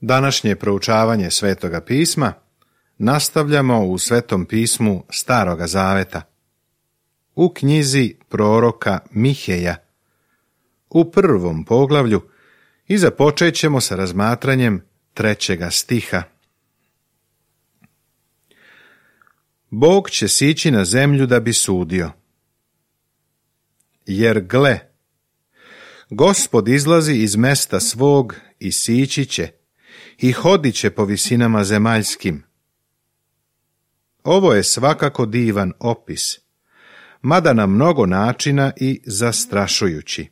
Današnje proučavanje Svetoga pisma nastavljamo u Svetom pismu Staroga zaveta, u knjizi proroka Miheja, u 1. poglavlju, i započet ćemo sa razmatranjem 3. stiha. Bog će sići na zemlju da bi sudio. Jer gle, Gospod izlazi iz mesta svog i sići će, i hodit će po visinama zemaljskim. Ovo je svakako divan opis, mada na mnogo načina i zastrašujući.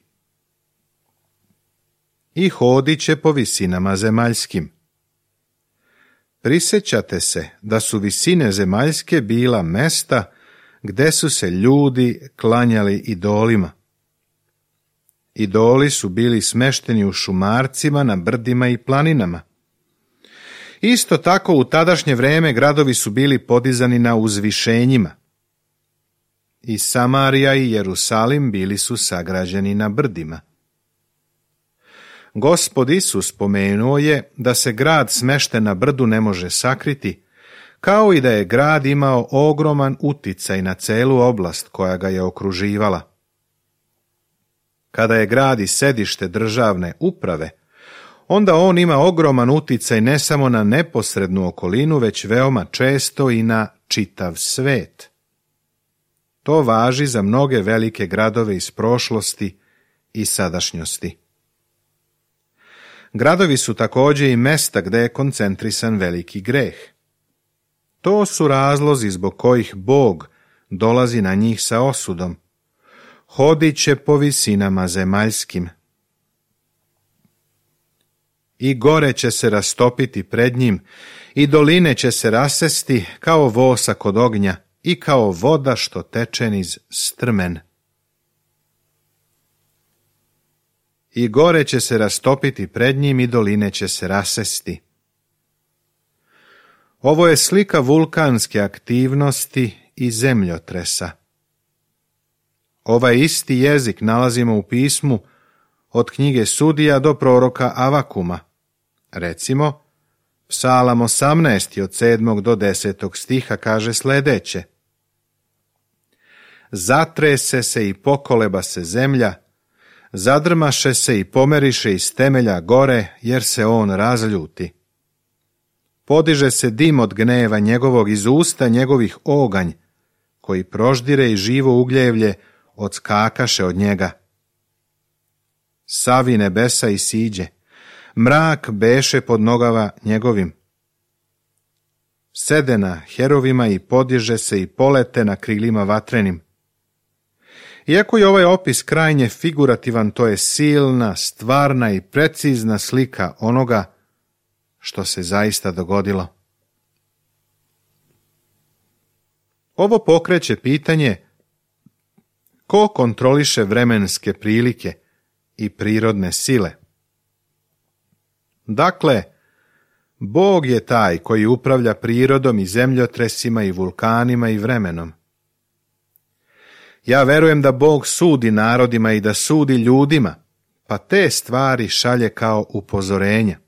I hodit će po visinama zemaljskim. Prisjećate se da su visine zemaljske bila mesta gde su se ljudi klanjali idolima. Idoli su bili smešteni u šumarcima, na brdima i planinama. Isto tako u tadašnje vreme gradovi su bili podizani na uzvišenjima. I Samarija i Jerusalim bili su sagrađeni na brdima. Gospod Isus spomenuo je da se grad smešten na brdu ne može sakriti, kao i da je grad imao ogroman uticaj na celu oblast koja ga je okruživala. Kada je grad i sedište državne uprave, onda on ima ogroman uticaj ne samo na neposrednu okolinu, već veoma često i na čitav svet. To važi za mnoge velike gradove iz prošlosti i sadašnjosti. Gradovi su također i mesta gde je koncentrisan veliki greh. To su razlozi zbog kojih Bog dolazi na njih sa osudom. Hodit će po visinama zemaljskim. I gore će se rastopiti pred njim, i doline će se rasesti kao vosak od ognja i kao voda što teče niz strmen. I gore će se rastopiti pred njim i doline će se rasesti. Ovo je slika vulkanske aktivnosti i zemljotresa. Ovaj isti jezik nalazimo u pismu od knjige Sudija do proroka Avakuma. Recimo, Psalam 18. od 7. do 10. stiha kaže sljedeće. Zatrese se i pokoleba se zemlja, zadrmaše se i pomeriše iz temelja gore, jer se on razljuti. Podiže se dim od gneva njegovog, iz usta njegovih oganj, koji proždire i živo ugljevlje odskakaše od njega. Savi nebesa i siđe, mrak beše pod nogama njegovim. Sede na herovima i podiže se i polete na krilima vatrenim. Iako je ovaj opis krajnje figurativan, to je silna, stvarna i precizna slika onoga što se zaista dogodilo. Ovo pokreće pitanje ko kontroliše vremenske prilike i prirodne sile. Dakle, Bog je taj koji upravlja prirodom i zemljotresima i vulkanima i vremenom. Ja verujem da Bog sudi narodima i da sudi ljudima, pa te stvari šalje kao upozorenja.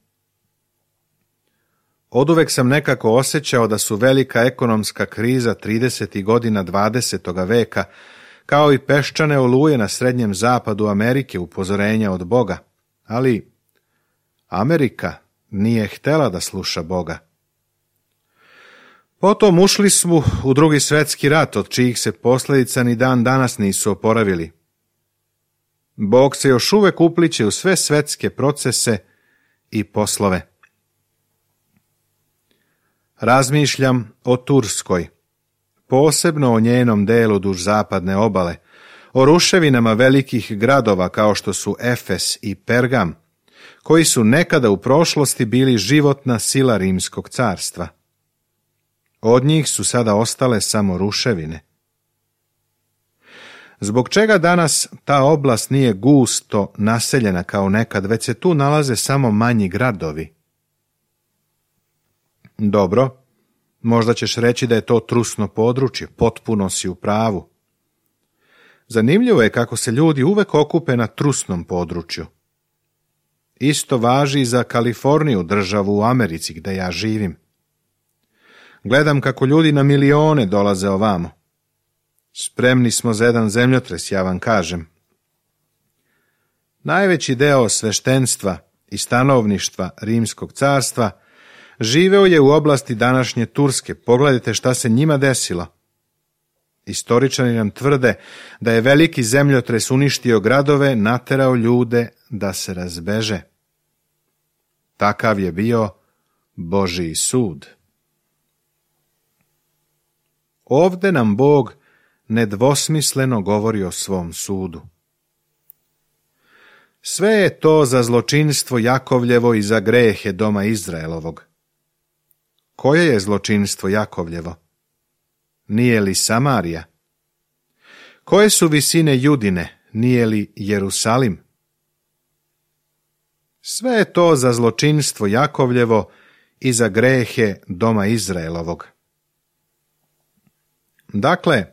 Oduvek sam nekako osjećao da su velika ekonomska kriza 30. godina 20. veka, kao i peščane oluje na srednjem zapadu Amerike upozorenja od Boga, ali Amerika nije htjela da sluša Boga. Potom ušli smo u Drugi svjetski rat, od čijih se posljedica ni dan danas nisu oporavili. Bog se još uvek upliće u sve svetske procese i poslove. Razmišljam o Turskoj, posebno o njenom delu duž zapadne obale, o ruševinama velikih gradova kao što su Efes i Pergam, koji su nekada u prošlosti bili životna sila Rimskog carstva. Od njih su sada ostale samo ruševine. Zbog čega danas ta oblast nije gusto naseljena kao nekad, već se tu nalaze samo manji gradovi? Dobro, možda ćeš reći da je to trusno područje, potpuno si u pravu. Zanimljivo je kako se ljudi uvek okupe na trusnom području. Isto važi i za Kaliforniju, državu u Americi gdje ja živim. Gledam kako ljudi na milione dolaze ovamo. Spremni smo za jedan zemljotres, ja vam kažem. Najveći deo sveštenstva i stanovništva Rimskog carstva živeo je u oblasti današnje Turske. Pogledajte šta se njima desilo. Istoričani nam tvrde da je veliki zemljotres uništio gradove, naterao ljude da se razbeže. Takav je bio Božji sud. Ovde nam Bog nedvosmisleno govori o svom sudu. Sve je to za zločinstvo Jakovljevo i za grehe doma Izraelovog. Koje je zločinstvo Jakovljevo? Nije li Samarija? Koje su visine Judine? Nije li Jerusalim? Sve je to za zločinstvo Jakovljevo i za grehe doma Izraelovog. Dakle,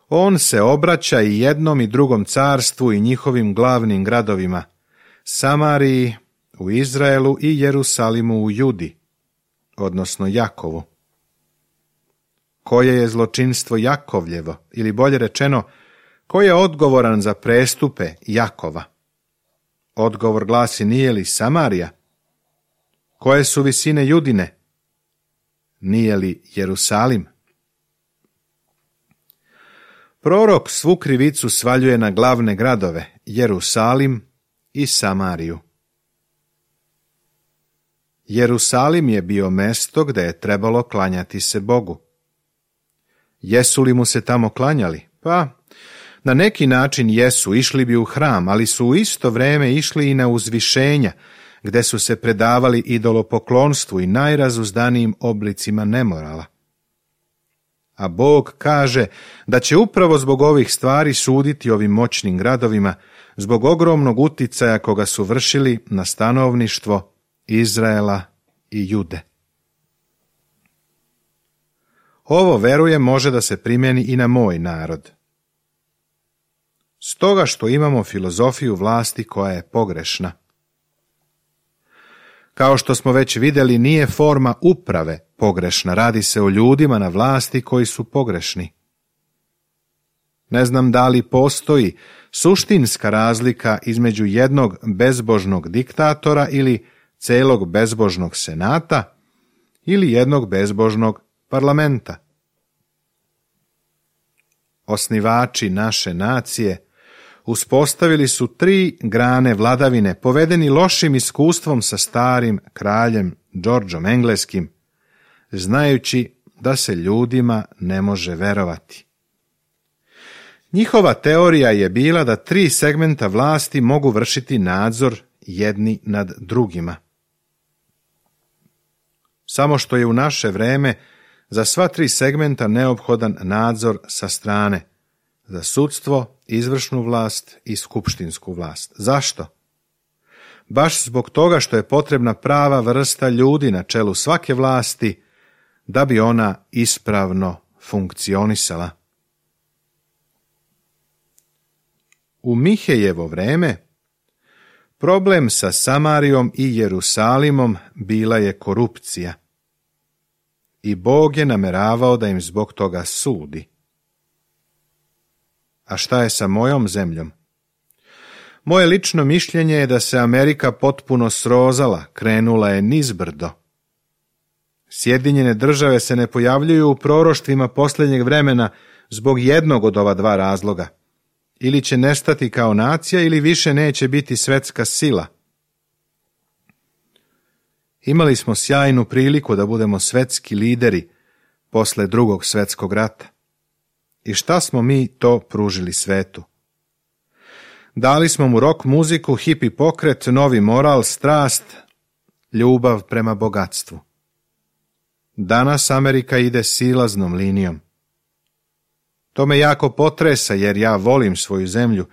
on se obraća i jednom i drugom carstvu i njihovim glavnim gradovima, Samariji u Izraelu i Jerusalimu u Judi, odnosno Jakovu. Koje je zločinstvo Jakovljevo, ili bolje rečeno, ko je odgovoran za prestupe Jakova? Odgovor glasi, nije li Samarija? Koje su visine Judine? Nije li Jerusalim? Prorok svu krivicu svaljuje na glavne gradove, Jerusalim i Samariju. Jerusalim je bio mesto gdje je trebalo klanjati se Bogu. Jesu li mu se tamo klanjali? Pa, na neki način jesu, išli bi u hram, ali su u isto vrijeme išli i na uzvišenja, gdje su se predavali idolopoklonstvu i najrazuzdanijim oblicima nemorala. A Bog kaže da će upravo zbog ovih stvari suditi ovim moćnim gradovima, zbog ogromnog uticaja koga su vršili na stanovništvo Izraela i Jude. Ovo, verujem, može da se primjeni i na moj narod. Stoga što imamo filozofiju vlasti koja je pogrešna. Kao što smo već vidjeli, nije forma uprave pogrešna, radi se o ljudima na vlasti koji su pogrešni. Ne znam da li postoji suštinska razlika između jednog bezbožnog diktatora ili celog bezbožnog senata ili jednog bezbožnog parlamenta. Osnivači naše nacije uspostavili su 3 grane vladavine, povedeni lošim iskustvom sa starim kraljem Đorđom Engleskim, znajući da se ljudima ne može verovati. Njihova teorija je bila da 3 segmenta vlasti mogu vršiti nadzor jedni nad drugima. Samo što je u naše vreme za sva 3 segmenta neophodan nadzor sa strane, za sudstvo, izvršnu vlast i skupštinsku vlast. Zašto? Baš zbog toga što je potrebna prava vrsta ljudi na čelu svake vlasti da bi ona ispravno funkcionisala. U Mihejevo vreme problem sa Samarijom i Jerusalimom bila je korupcija. I Bog je nameravao da im zbog toga sudi. A šta je sa mojom zemljom? Moje lično mišljenje je da se Amerika potpuno srozala, krenula je nizbrdo. Sjedinjene države se ne pojavljuju u proroštvima posljednjeg vremena zbog jednog od ova 2 razloga. Ili će nestati kao nacija ili više neće biti svetska sila. Imali smo sjajnu priliku da budemo svetski lideri posle Drugog svjetskog rata. I šta smo mi to pružili svetu? Dali smo mu rock muziku, hipi pokret, novi moral, strast, ljubav prema bogatstvu. Danas Amerika ide silaznom linijom. To me jako potresa jer ja volim svoju zemlju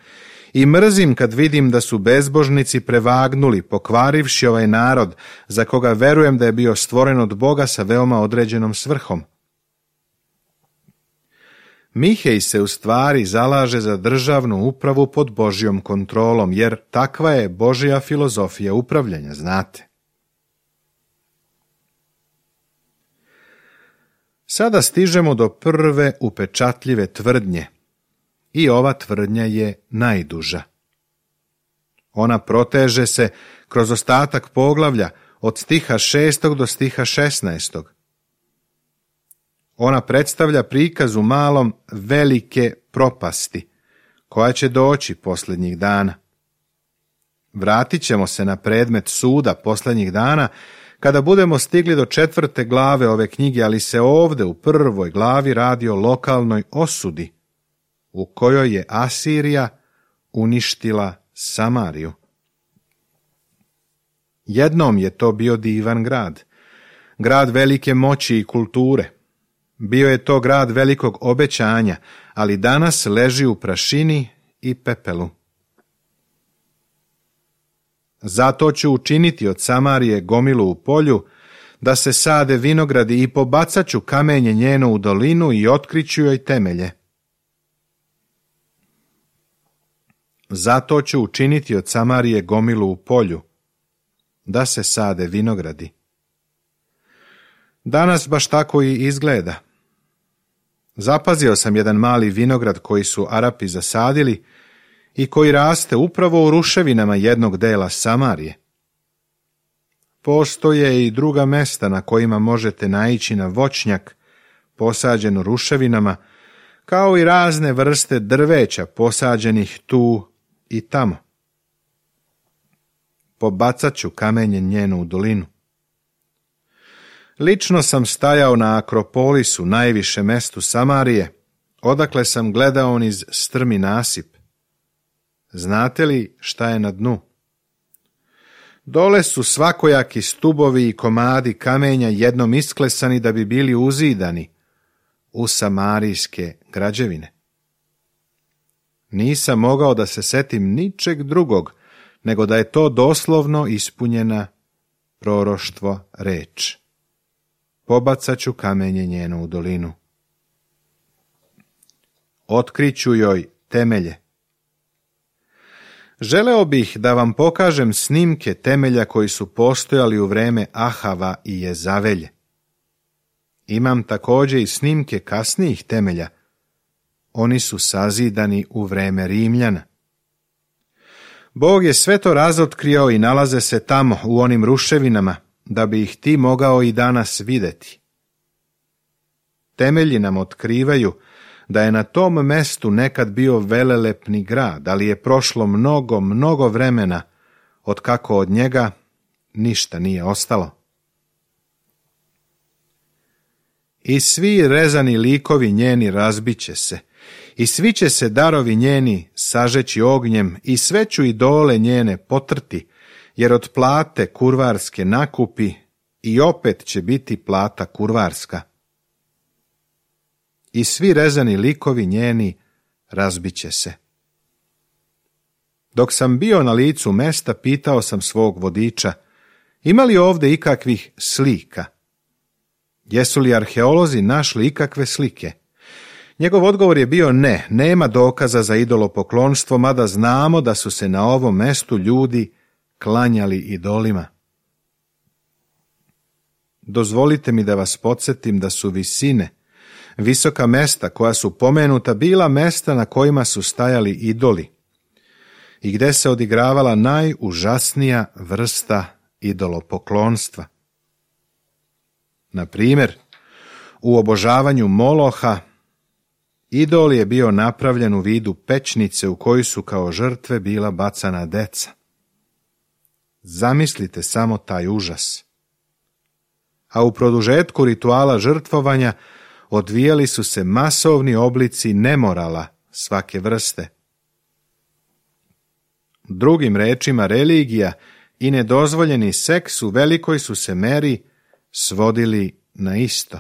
i mrzim kad vidim da su bezbožnici prevagnuli, pokvarivši ovaj narod za koga verujem da je bio stvoren od Boga sa veoma određenom svrhom. Mihej se u stvari zalaže za državnu upravu pod Božjom kontrolom, jer takva je Božja filozofija upravljanja, znate. Sada stižemo do prve upečatljive tvrdnje i ova tvrdnja je najduža. Ona proteže se kroz ostatak poglavlja od stiha 6. do stiha 16. Ona predstavlja prikaz u malom velike propasti koja će doći posljednjih dana. Vratit ćemo se na predmet suda posljednjih dana kada budemo stigli do 4. glave ove knjige, ali se ovdje u 1. glavi radi o lokalnoj osudi u kojoj je Asirija uništila Samariju. Jednom je to bio divan grad, grad velike moći i kulture. Bio je to grad velikog obećanja, ali danas leži u prašini i pepelu. Zato ću učiniti od Samarije gomilu u polju, da se sade vinogradi i pobacat ću kamenje njeno u dolinu i otkriću joj temelje. Zato ću učiniti od Samarije gomilu u polju, da se sade vinogradi. Danas baš tako i izgleda. Zapazio sam jedan mali vinograd koji su Arapi zasadili i koji raste upravo u ruševinama jednog dela Samarije. Postoje i druga mesta na kojima možete naići na voćnjak posađen u ruševinama, kao i razne vrste drveća posađenih tu i tamo. Pobacat ću kamenje njenu u dolinu. Lično sam stajao na Akropolisu, najviše mestu Samarije, odakle sam gledao niz strmi nasip. Znate li šta je na dnu? Dole su svakojaki stubovi i komadi kamenja jednom isklesani da bi bili uzidani u samarijske građevine. Nisam mogao da se setim ničeg drugog, nego da je to doslovno ispunjena proroštvo reč. Pobacat ću kamenje njeno u dolinu. Otkriću joj temelje. Želeo bih da vam pokažem snimke temelja koji su postojali u vreme Ahava i Jezavelje. Imam također i snimke kasnijih temelja. Oni su sazidani u vreme Rimljana. Bog je sve to razotkrio i nalaze se tamo u onim ruševinama, da bi ih ti mogao i danas vidjeti. Temelji nam otkrivaju da je na tom mestu nekad bio velelepni grad, ali je prošlo mnogo vremena od kako od njega ništa nije ostalo. I svi rezani likovi njeni razbiće se, i svi će se darovi njeni sažeći ognjem, i sve ću idole njene potrti, jer od plate kurvarske nakupi i opet će biti plata kurvarska. I svi rezani likovi njeni razbiće se. Dok sam bio na licu mesta, pitao sam svog vodiča, ima li ovdje ikakvih slika? Jesu li arheolozi našli ikakve slike? Njegov odgovor je bio ne, nema dokaza za idolopoklonstvo, mada znamo da su se na ovom mestu ljudi klanjali idolima. Dozvolite mi da vas podsjetim da su visine, visoka mesta koja su pomenuta, bila mesta na kojima su stajali idoli i gdje se odigravala najužasnija vrsta idolopoklonstva. Na primjer, u obožavanju Moloha idol je bio napravljen u vidu pećnice u koju su kao žrtve bila bacana deca. Zamislite samo taj užas. A u produžetku rituala žrtvovanja odvijali su se masovni oblici nemorala svake vrste. Drugim rečima, religija i nedozvoljeni seks u velikoj su se meri svodili na isto.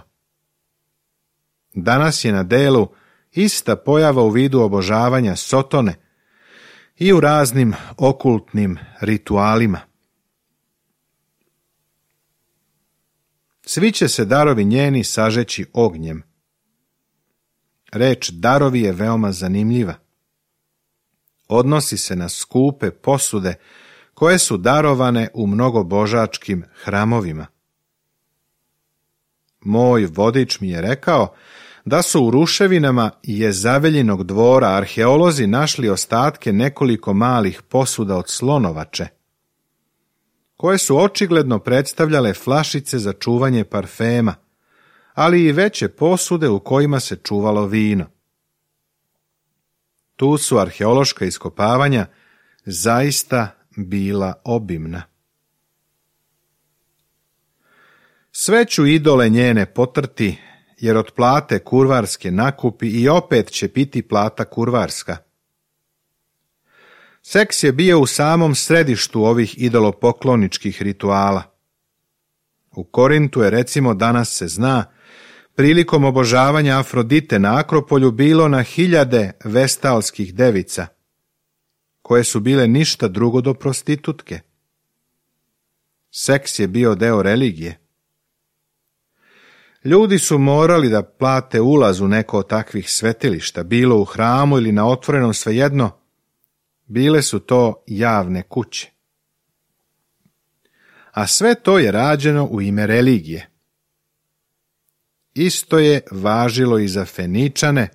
Danas je na delu ista pojava u vidu obožavanja Sotone i u raznim okultnim ritualima. Svi će se darovi njeni sažeći ognjem. Reč darovi je veoma zanimljiva. Odnosi se na skupe posude koje su darovane u mnogobožačkim hramovima. Moj vodič mi je rekao da su u ruševinama Jezaveljinog dvora arheolozi našli ostatke nekoliko malih posuda od slonovače, koje su očigledno predstavljale flašice za čuvanje parfema, ali i veće posude u kojima se čuvalo vino. Tu su arheološka iskopavanja zaista bila obimna. Sve ću idole njene potrti, jer od plate kurvarske nakupi i opet će piti plata kurvarska. Seks je bio u samom središtu ovih idolopokloničkih rituala. U Korintu je, recimo, danas se zna, prilikom obožavanja Afrodite na Akropolju bilo na hiljade vestalskih devica, koje su bile ništa drugo do prostitutke. Seks je bio deo religije. Ljudi su morali da plate ulaz u neko od takvih svetilišta, bilo u hramu ili na otvorenom, svejedno, bile su to javne kuće. A sve to je rađeno u ime religije. Isto je važilo i za Feničane,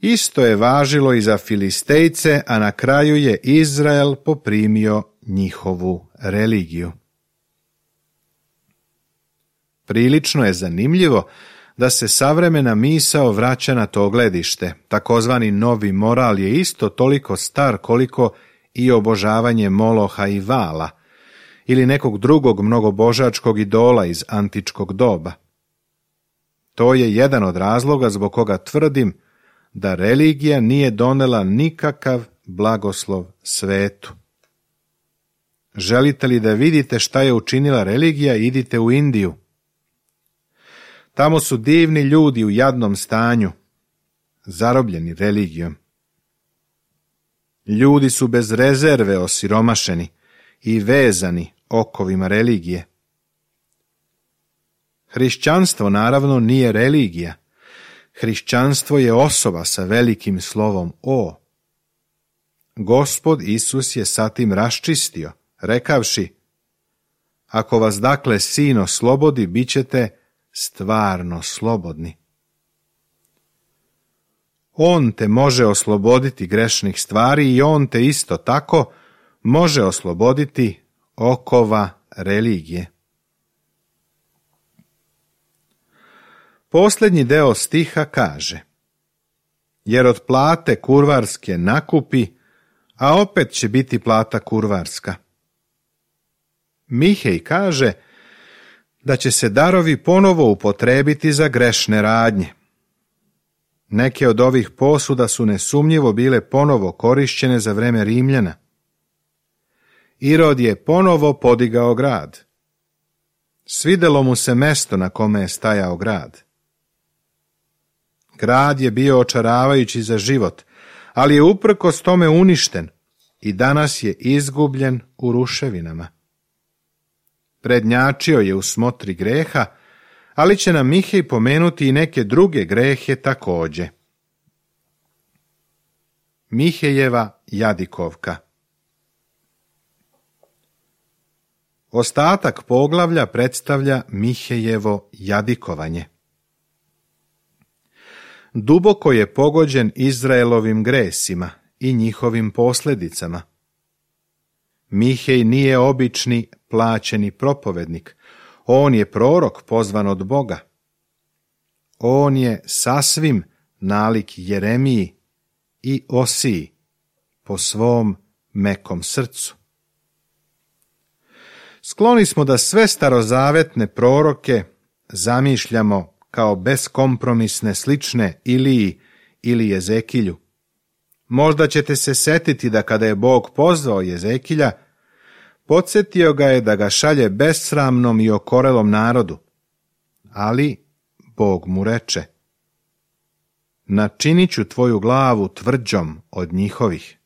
isto je važilo i za Filistejce, a na kraju je Izrael poprimio njihovu religiju. Prilično je zanimljivo da se savremena misao vraća na to gledište. Takozvani novi moral je isto toliko star koliko i obožavanje Moloha i Vala ili nekog drugog mnogobožačkog idola iz antičkog doba. To je jedan od razloga zbog koga tvrdim da religija nije donela nikakav blagoslov svetu. Želite li da vidite šta je učinila religija, idite u Indiju. Tamo su divni ljudi u jadnom stanju, zarobljeni religijom. Ljudi su bez rezerve osiromašeni i vezani okovima religije. Hrišćanstvo naravno nije religija. Hrišćanstvo je osoba sa velikim slovom O. Gospod Isus je sa tim raščistio, rekavši: ako vas dakle Sin oslobodi, bit ćete stvarno slobodni. On te može osloboditi grešnih stvari i on te isto tako može osloboditi okova religije. Posljednji deo stiha kaže: jer od plate kurvarske nakupi, a opet će biti plata kurvarska. Mihej kaže da će se darovi ponovo upotrebiti za grešne radnje. Neke od ovih posuda su nesumnjivo bile ponovo korišćene za vreme Rimljana. Irod je ponovo podigao grad. Svidelo mu se mesto na kome je stajao grad. Grad je bio očaravajući za život, ali je uprkos tome uništen i danas je izgubljen u ruševinama. Prednjačio je u smotri greha, ali će nam Mihej pomenuti i neke druge grehe također. Mihejeva jadikovka. Ostatak poglavlja predstavlja Mihejevo jadikovanje. Duboko je pogođen Izraelovim gresima i njihovim posljedicama. Mihej nije obični plaćeni propovednik, on je prorok pozvan od Boga. On je sasvim nalik Jeremiji i Osiji po svom mekom srcu. Skloni smo da sve starozavetne proroke zamišljamo kao beskompromisne slične Iliji ili Jezekilju. Možda ćete se setiti da kada je Bog pozvao Jezekilja, podsjetio ga je da ga šalje besramnom i okorelom narodu. Ali Bog mu reče: načinit ću tvoju glavu tvrđom od njihovih.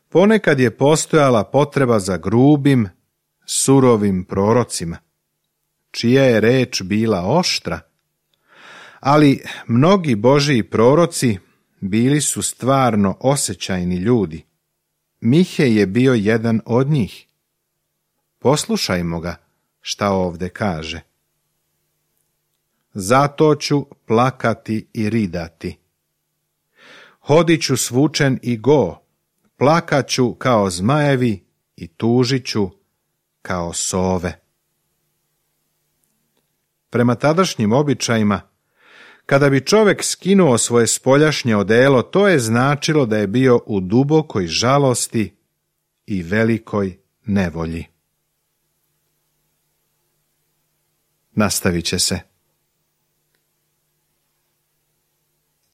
Ponekad je postojala potreba za grubim, surovim prorocima, čija je reč bila oštra, Ali mnogi Božji proroci bili su stvarno osjećajni ljudi. Mihej je bio jedan od njih. Poslušajmo ga šta ovdje kaže. Zato ću plakati i ridati. Hodit ću svučen i go, plakat ću kao zmajevi i tužit ću kao sove. Prema tadašnjim običajima, kada bi čovjek skinuo svoje spoljašnje odelo, to je značilo da je bio u dubokoj žalosti i velikoj nevolji. Nastavit će se.